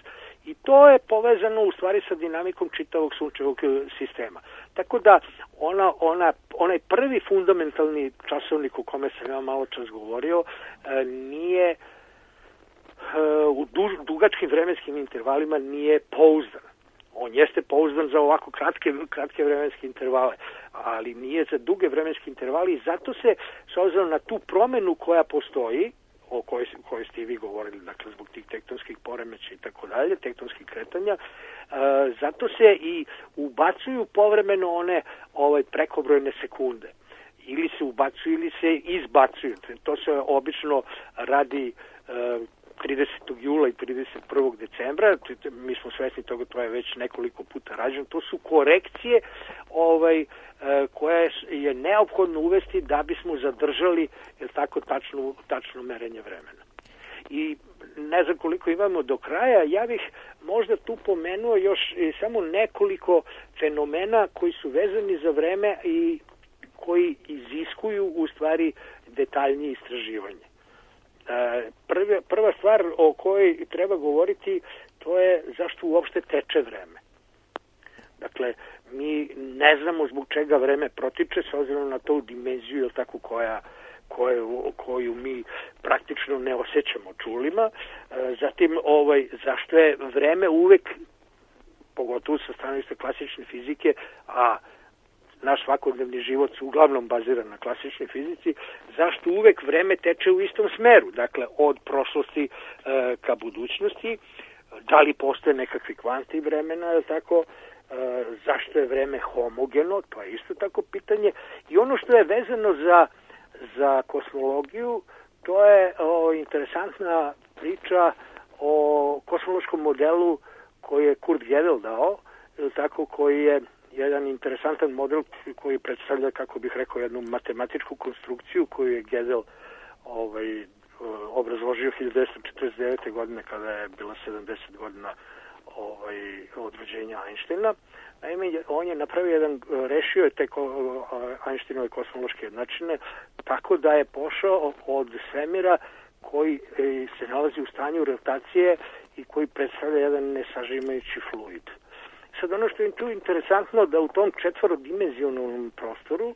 i to je povezano u stvari sa dinamikom čitavog sunčevog sistema. Tako da ona, ona, onaj prvi fundamentalni časovnik o kome sam ja malo čas govorio nije u duž, dugačkim vremenskim intervalima nije pouzdan. On jeste pouzdan za ovako kratke, kratke vremenske intervale, ali nije za duge vremenske intervale i zato se, s obzirom na tu promenu koja postoji, o kojoj, kojoj ste i vi govorili, dakle zbog tih tektonskih poremeća i tako dalje, tektonskih kretanja, e, zato se i ubacuju povremeno one ovaj, prekobrojne sekunde. Ili se ubacuju ili se izbacuju. To se obično radi e, tridesetog jula i trideset prvog decembra, mi smo svesni toga, to je već nekoliko puta rađeno, to su korekcije ovaj, koje je neophodno uvesti da bismo zadržali jel tako, tačno, tačno merenje vremena. I ne znam koliko imamo do kraja, ja bih možda tu pomenuo još samo nekoliko fenomena koji su vezani za vreme i koji iziskuju u stvari detaljnije istraživanje. Prva, prva stvar o kojoj treba govoriti to je zašto uopšte teče vreme. Dakle, mi ne znamo zbog čega vreme protiče s obzirom na tu dimenziju jel tako, koja, koju, koju mi praktično ne osjećamo čulima. Zatim, ovaj, zašto je vreme uvek, pogotovo sa stanovišta klasične fizike, a naš svakodnevni život se uglavnom bazira na klasičnoj fizici, zašto uvek vreme teče u istom smeru, dakle od prošlosti e, ka budućnosti, da li postoje nekakvi kvanti vremena, je tako, e, zašto je vreme homogeno, to je isto tako pitanje, i ono što je vezano za, za kosmologiju, to je o, interesantna priča o kosmološkom modelu koji je Kurt Gödel dao, je tako, koji je jedan interesantan model koji predstavlja, kako bih rekao, jednu matematičku konstrukciju koju je Gödel ovaj, obrazložio hiljadu devetsto četrdeset devete. godine kada je bila sedamdeset godina ovaj, od rođenja Einsteina. Naime, on je napravio jedan, rešio je te Einsteinove kosmološke jednačine tako da je pošao od svemira koji se nalazi u stanju rotacije i koji predstavlja jedan nesažimajući fluid. Sad ono što je tu interesantno da u tom četvorodimenzionalnom prostoru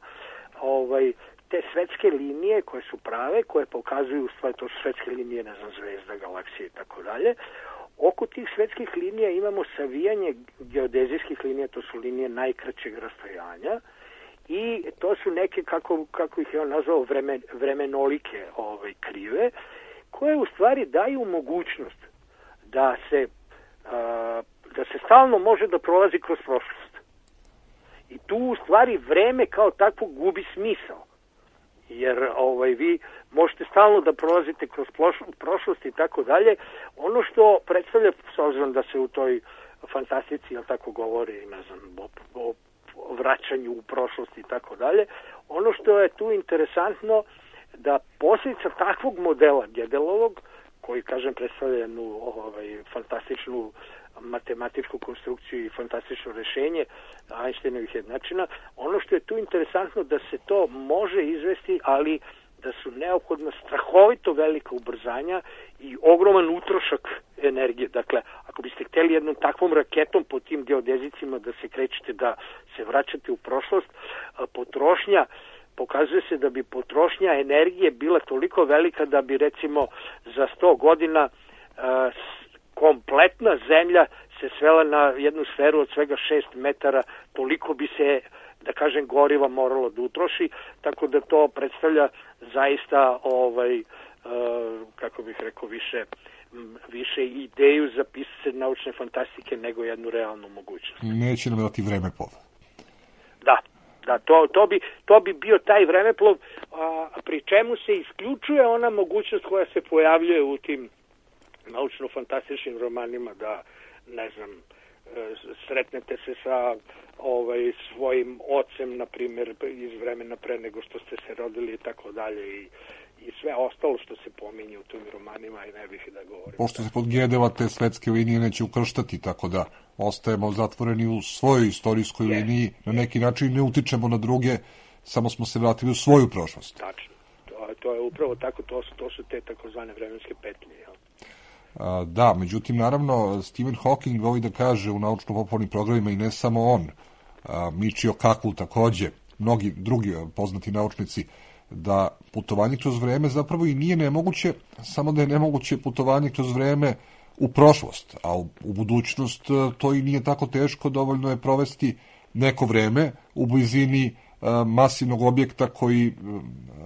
ovaj, te svetske linije koje su prave, koje pokazuju, stvari, to su svetske linije, ne znam, zvezda, galaksije i tako dalje, oko tih svetskih linija imamo savijanje geodezijskih linija, to su linije najkraćeg rastojanja i to su neke, kako, kako ih je on nazvao, vreme, vremenolike ovaj, krive, koje u stvari daju mogućnost da se a, da se stalno može da prolazi kroz prošlost. I tu u stvari vreme kao takvo gubi smisao. Jer ovaj, vi možete stalno da prolazite kroz prošlost i tako dalje. Ono što predstavlja, s obzirom da se u toj fantastici, jel tako govori, ne znam, o, o, o vraćanju u prošlost i tako dalje, ono što je tu interesantno da posljedica takvog modela Gödelovog, koji, kažem, predstavlja jednu ovaj, fantastičnu matematičku konstrukciju i fantastično rešenje Einsteinovih jednačina. Ono što je tu interesantno da se to može izvesti, ali da su neophodna strahovito velika ubrzanja i ogroman utrošak energije. Dakle, ako biste hteli jednom takvom raketom po tim geodezicima da se krećete, da se vraćate u prošlost, potrošnja, pokazuje se da bi potrošnja energije bila toliko velika da bi recimo za sto godina kompletna zemlja se svela na jednu sferu od svega šest metara, toliko bi se, da kažem, goriva moralo da utroši, tako da to predstavlja zaista, ovaj, uh, kako bih rekao, više, više ideju za pisanje naučne fantastike nego jednu realnu mogućnost. Neće nam dati vremeplov. Da, da, to, to, bi, to bi bio taj vremeplov, a, pri čemu se isključuje ona mogućnost koja se pojavljuje u tim naučno-fantastičnim romanima da ne znam, sretnete se sa ovaj, svojim ocem, na primjer, iz vremena pre nego što ste se rodili i tako dalje i i sve ostalo što se pominje u tim romanima i ne bih da govorim. Pošto se pod Gedeva te svetske linije neće ukrštati, tako da ostajemo zatvoreni u svojoj istorijskoj yes. liniji, na neki način ne utičemo na druge, samo smo se vratili u svoju prošlost. Tačno. To, to je upravo tako, to su, to su te takozvane vremenske petlje. Jel? A, da, međutim, naravno, Stephen Hawking voli da kaže u naučno-popularnim programima i ne samo on, a, Michio Kaku takođe, mnogi drugi poznati naučnici, da putovanje kroz vreme zapravo i nije nemoguće, samo da je nemoguće putovanje kroz vreme u prošlost, a u, u budućnost to i nije tako teško, dovoljno je provesti neko vreme u blizini a, masivnog objekta koji a,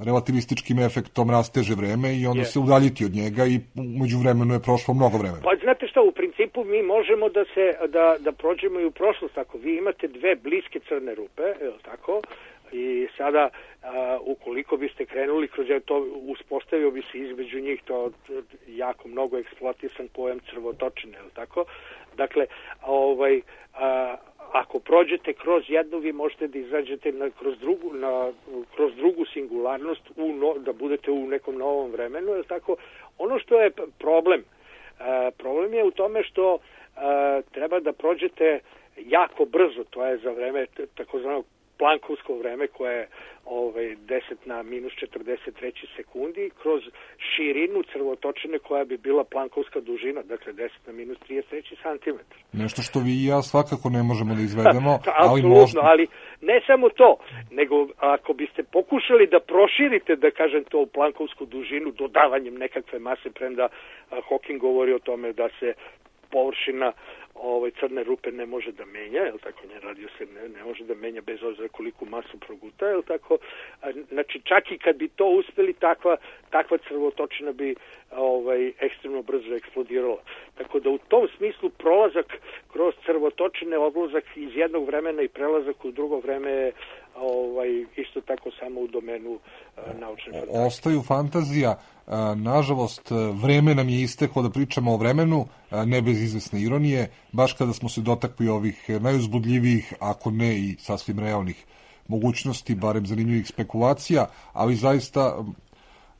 relativističkim efektom rasteže vreme i onda yes. se udaljiti od njega i umeđu vremenu je prošlo mnogo vremena. Pa znate šta, u principu mi možemo da se da, da prođemo i u prošlost, ako vi imate dve bliske crne rupe, je li tako? I sada, a, ukoliko biste krenuli kroz to, uspostavio bi se između njih to jako mnogo eksploatisan pojam crvotočine, je li tako? Dakle, ovaj, a, ako prođete kroz jednu, vi možete da izađete na, kroz, drugu, na, kroz drugu singularnost, u no, da budete u nekom novom vremenu, je li tako? Ono što je problem, a, problem je u tome što a, treba da prođete jako brzo, to je za vreme takozvanog plankovsko vreme koje je ovaj, deset na minus četrdeset treći sekundi kroz širinu crvotočine koja bi bila plankovska dužina, dakle deset na minus trideset treći centimetar. Nešto što vi i ja svakako ne možemo da izvedemo, ali apsolutno, možda... ali ne samo to, nego ako biste pokušali da proširite, da kažem to, u plankovsku dužinu dodavanjem nekakve mase, premda Hawking govori o tome da se površina ovaj crne rupe ne može da menja, jel tako, ne radio se ne, ne može da menja bez obzira koliku masu proguta, jel tako, znači čak i kad bi to uspeli, takva, takva crvotočina bi ovaj ekstremno brzo eksplodirala. Tako da u tom smislu prolazak kroz crvotočine, odlazak iz jednog vremena i prelazak u drugo vreme je ovaj, isto tako samo u domenu uh, naučne fantazije. Ostaju fantazija. Nažalost, vreme nam je isteklo da pričamo o vremenu, ne bez izvesne ironije, baš kada smo se dotakli ovih najuzbudljivijih, ako ne i sasvim realnih mogućnosti, barem zanimljivih spekulacija, ali zaista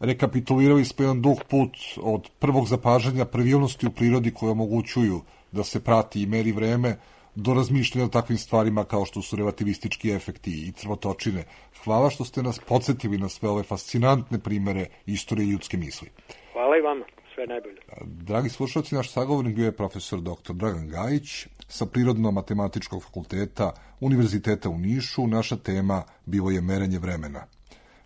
rekapitulirali smo jedan dug put od prvog zapažanja pravilnosti u prirodi koje omogućuju da se prati i meri vreme, do razmišljanja o takvim stvarima kao što su relativistički efekti i crvotočine. Hvala što ste nas podsjetili na sve ove fascinantne primere istorije ljudske misli. Hvala i vama, sve najbolje. Dragi slušalci, naš sagovornik bio je profesor doktor Dragan Gajić sa Prirodno-matematičkog fakulteta Univerziteta u Nišu. Naša tema bilo je merenje vremena.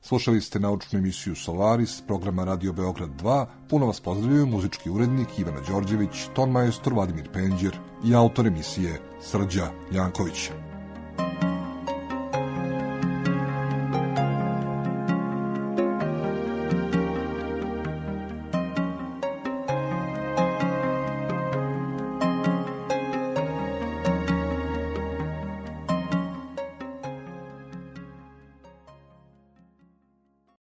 Slušali ste naučnu emisiju Solaris, programa Radio Beograd dva. Puno vas pozdravljaju muzički urednik Ivana Đorđević, ton majstor Vladimir Penđer i autor emisije Srđa Janković.